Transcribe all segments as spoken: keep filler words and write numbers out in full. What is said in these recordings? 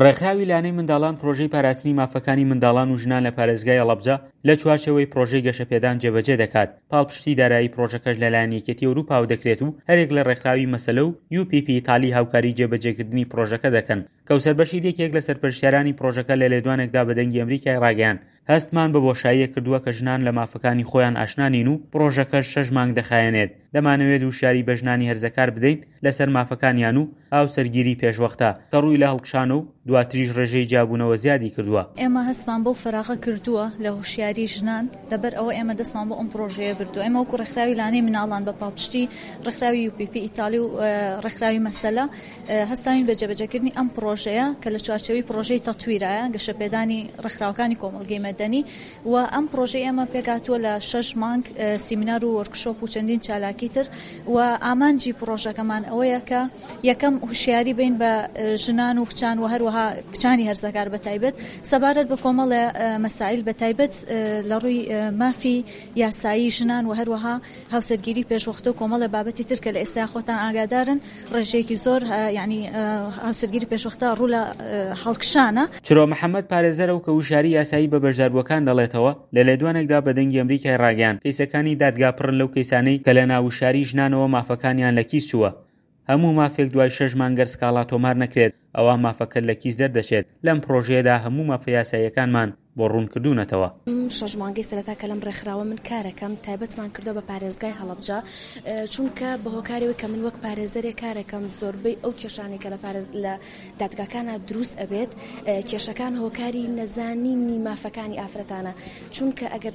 ڕێکخراوی لانەی منداڵان پرۆژەی پاراستنی مافەکانی منداڵان و ژنان لە پارێزگای هەڵەبجە لە چوارچێوەی پرۆژەی گەشەپێدان جێبەجێ دەکات. پاڵپشتی دارایی پرۆژەکەش لەلایەن یەکێتی ئەوروپاوە دەکرێت و هەرێک لە ڕێکخراوی مەسەلە و یو پی پی ئیتالی هاوکاری جێبەجێکردنی پرۆژەکە دەکەن. کەوسەر بەشیر یەکێک لە سەرپەرشتیارانی پرۆژەکە لە لێدوانێکدا بە دەنگی ئەمریکای ڕاگەیاند، هەستمان بە بۆشاییە کردووە کە ژنان لە مافەکانی خۆیان ئاشنا نین و پرۆژەکەش شەش مانگ دەخایەنێت. دەمانەوێت وشیاری بە ژنانی هەرزەکار بدەین لەسەر مافەکانیان و هاوسەرگیری پێشوەختە کە ڕووی لە هەڵکشانە و دواتریش ڕێژەی جیابوونەوە زیادی کردووە. ئێمە هەستمان بەو فەراغە کردووە لە هۆشیاری ژنان، لەبەر ئەوە ئێمە دەستمان بۆ ئەم پرۆژەیە بردووە. ئێمە وەکو ڕێکخراوی لانەی مناڵان بە پاڵپشتی ڕێکخراوی یو پی پی ئیتالی و ڕێکخراوی مەسەلە هەستاوین بە جێبەجێکردنی ئەم پرۆژەیە کە لە چوارچێوەی پرۆژەی تەتویرایە، گەشەپێدانی ڕێکخراوەکانی کۆمەڵگەی مەدەنی. و ئەم پرۆژەی ئێمە پێکهاتووە لە شەش مانگ سیمینار و وۆرکشۆپ و چەندین چالاکی تر. و ئامانجی پرۆژەکەمان ئەوەیە کە یەکەم هوشیاری بین بە ژنان و کچان و هەروەها کچانی هەرزەکار بە تایبەت سەبارەت بە کۆمەڵێ مەسائل، بە تایبەت لە ڕووی مافی یاسایی ژنان و هەروەها هاوسەرگیری پێشوەختە و کۆمەڵێ بابەتی تر کە لە ئێستا خۆتان ئاگادارن ڕێژەیەکی زۆر یعنی هاوسەرگیری پێشوەختە ڕوو لە هەڵکشانە. چرۆ محەممەد پارێزەرە و کە وشیاری یاسایی بە بەشداربووەکان دەڵێتەوە، لە لێدوانێکدا بە دەنگی ئەمریکای ڕاگەیاند، کەیسەکانی دادگا پڕن لەو کەیسانەی کە لە ناوشاری ژنانەوە مافەکانیان لە کیس چووە. هەموو مافێک دوای شەش مانگ گەر سکاڵا تۆمار نەکرێت ئەوە مافەکەت لە کیس دەردەچێت. لەم پرۆژەیەدا هەموو مافە یاساییەکانمان بۆ ڕوون کردوونەتەوە. شەش مانگەی سەرەتا کە لەم ڕێکخراوە من کارەکەم تایبەتمان کردەوە بە پارێزگای هەڵەبجە، چونکە بە هۆکارەوەی کە من وەک پارێزەرێک کارەکەم زۆربەی ئەو کێشانەی کە لە پارێز لە دادگاکانە دروست ئەبێت کێشەکان هۆکاری نەزانینی مافەکانی ئافرەتانە. چونکە ئەگەر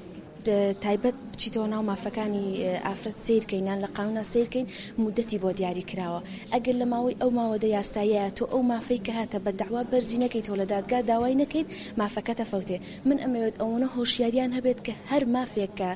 تایبەت بچیتەوە ناو مافەکانی ئافرەت سیرکەین یان لە قانونا سیرکەین مدەتی بۆ دیاری کراوە، ئەگەر لە ماوەی ئەو ماوەدە یاساییە تۆ ئەو مافەی کە هاتە بە داوا بەرزی نەکەیتەوە لە دادگا داوای نەکەیت مافەکەتە فەوتێ. من ئەمەوێت ئەوەنە هۆشیاریان هەبێت کە هەر مافێک کە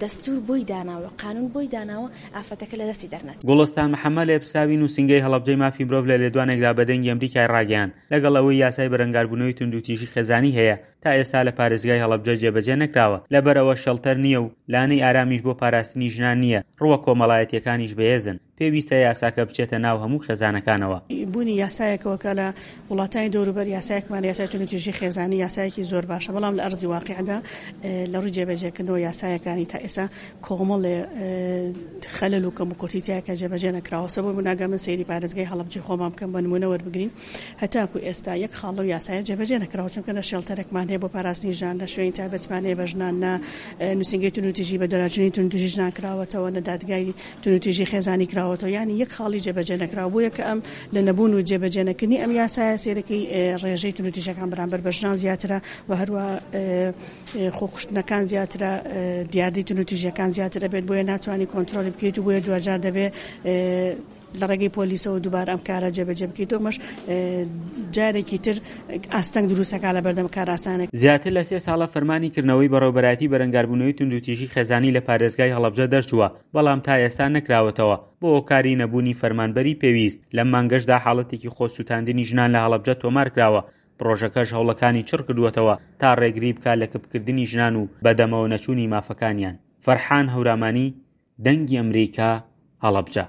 دەستور بۆی داناوە، قانون بۆی داناوە، ئافرەتەکە لە دەستی دەرنەچێت. گوڵستان محەممەد لێپرسراوی نووسینگەی هەڵەبجەی مافی مرۆڤ لە لێدوانێکدا بە دەنگی ئەمریکای ڕاگەیاند، لەگەڵ ئەوەی یاسای بەرەنگاربوونەوەی توندوتیژی خێزانی هەیە تا ئێستا لە پارێزگای هەڵەبجە جێبەجێ نەکراوە، لەبەرئەوە shelter نییە و لانەی ئارامیش بۆ پاراستنی ژنان نییە، ڕووە کۆمەڵایەتیەکانیش بەهێزن، پێویستە یاساکە بچێتە ناو هەموو خێزانەکانەوە. بوونی یاسایەکەوە کە لە وڵاتانی دەوروبەر یاسایەکمان یاسای توندوتیژی خێزانی یاسایەکی زۆر باشە، بەڵام لە ئەرزی واقعدا لە ڕووی جێبەجێکردنەوە یاسایەکانی تا ئێستا کۆمەڵێ خەلەل و کەموکورتی تیایە کە جێبەجێ نەکراوە. سەبەب ناگە من سەیری پارێزگای هەڵەبجەی خۆمان بکەم بە نمونە وەربگرین، هەتاکو ئێستا یەک خاڵ لەو یاسایە جێبەجێ نەکراوە، چونکە نە shelter ێکمان هەیە بۆ پاراستنی ژنان، نە شوێنی تایبەتمان هەیە بە ژنان، نە نووسینگەی توندوتیژی بە دەراجنی توندوتیژی ژنان کراوەتەوە، نە دادگای توندوتیژی خێزانی کراوەتەوە، یعنی یەک خاڵی جێبەجێ نەکراوە. بۆیە کە ئەم لە نەبوون و جێبەجێ نەکردنی ئەم یاسایە سێرەکەی ڕێژەی توندوتیژەکان بەرامبەر بە ژنان زیاترە و هەروە خۆکوشتنەکان زیاترە، دیاردەی توندوتیژیەکان زیاتر ئەبێت، بۆیە ناتوانانی کۆنترۆلی بکەیت و بۆیە دوجار دەبێت لە ڕێگەی پۆلیسەوە دووبارە ئەم کارە جێبەجێ بکەیت. ئەمەش جارێکی تر ئاستەنگ دروستەکە لە بەردەم کارئاسانێک. زیاتر لە سێ ساڵە فەرمانی کردنەوەی بەڕێوەبەرایەتی بەرەنگاربوونەوەی توندوتیژی خێزانی لە پارێزگای هەڵەبجە دەرچووە، بەڵام تا ئێستا نەکراوەتەوە بۆ هۆکاری نەبوونی فەرمانبەری پێویست. لەم مانگەشدا حاڵەتێکی خۆسووتاندنی ژنان لە هەڵەبجە تۆمار کراوە. پرۆژەکەش هەوڵەکانی چڕ کردووەتەوە تا ڕێگری بکات لە کپکردنی ژنان و بەدەمەوە نەچوونی مافەکانیان. فەرحان هەورامانی، دەنگی ئەمریکا، هەڵەبجە.